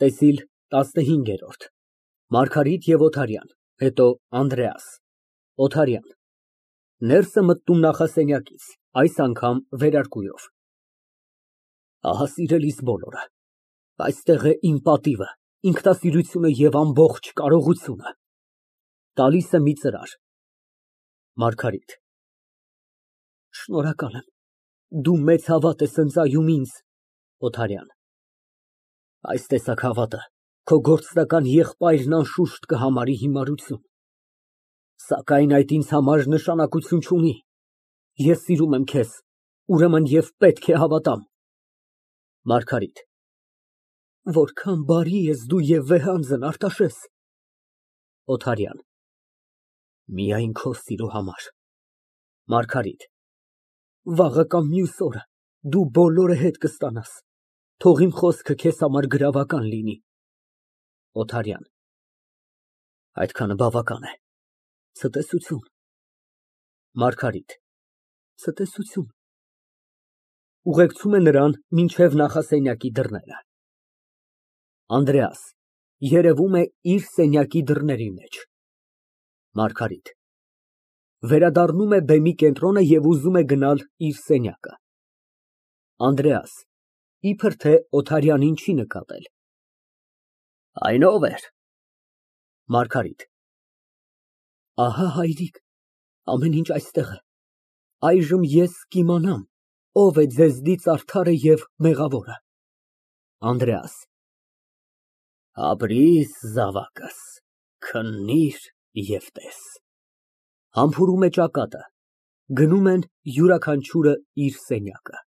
ՏԵՍԻԼ ՏԱՍՆՀԻՆԳԵՐՈՐԴ ՄԱՐԳԱՐԻՏ և ՕԹԱՐՅԱՆ, հետո ԱՆԴՐԵԱՍ, ՕԹԱՐՅԱՆ ֊ (Ներս է մտնում նախասենյակից, այս անգամ վերարկուով) Ահա, սիրելիս, բոլորը, այստեղ է իմ պատիվը, ինքնասիրությունը և ամբողջ կարողությունը։ (Տալիս է մի ծրար) ՄԱՐԳԱՐԻՏ ֊ Շնորհակալ եմ, դու մեծ հավատ ես ընծայում ինձ։ ՕԹԱՐՅԱՆ ֊ Այս տեսակ հավատը քո գործնական եղբայրն անշուշտ կհամարի հիմարություն, սակայն այդ ինձ համար նշանակություն չունի։ Ես սիրում եմ քեզ, ուրեմն և պետք է հավատամ։ ՄԱՐԳԱՐԻՏ ֊ Որքան բարի ես դու և վեհանձն, Արտաշես։ ՕԹԱՐՅԱՆ ֊ Միայն քո սիրո համար։ ՄԱՐԳԱՐԻՏ ֊ Վաղը կամ մյուս օրը դու բոլորը հետ կստանաս, թող իմ խոսքը քեզ համար գրավական լինի։ ՕԹԱՐՅԱՆ ֊ Այդքանը բավական է, ցտեսություն։ ՄԱՐԳԱՐԻՏ ֊ Ցտեսություն։ (Ուղեկցում է նրան մինչև նախասենյակի դռները)։ ԱՆԴՐԵԱՍ ֊ (Երևում է իր սենյակի դռների մեջ)։ ՄԱՐԳԱՐԻՏ ֊ (Վերադառնում է բեմի կենտրոնը և ուզում է գնալ իր սենյակը)։ ԱՆԴՐԵԱՍ ֊ (Իբր թե Օթարյանին չի նկատել) Այն ո՞վ էր։ ՄԱՐԳԱՐԻՏ ֊ Ահա, հայրիկ, ամեն ինչ այստեղ է, այժմ ես կիմանամ ով է ձեզնից արդարը և մեղավորը։ ԱՆԴՐԵԱՍ ֊ Ապրիր, զավակս, քննիր և տես։ (Համբուրում է ճակատը, գնում են յուրաքանչյուրը իր սենյակը)։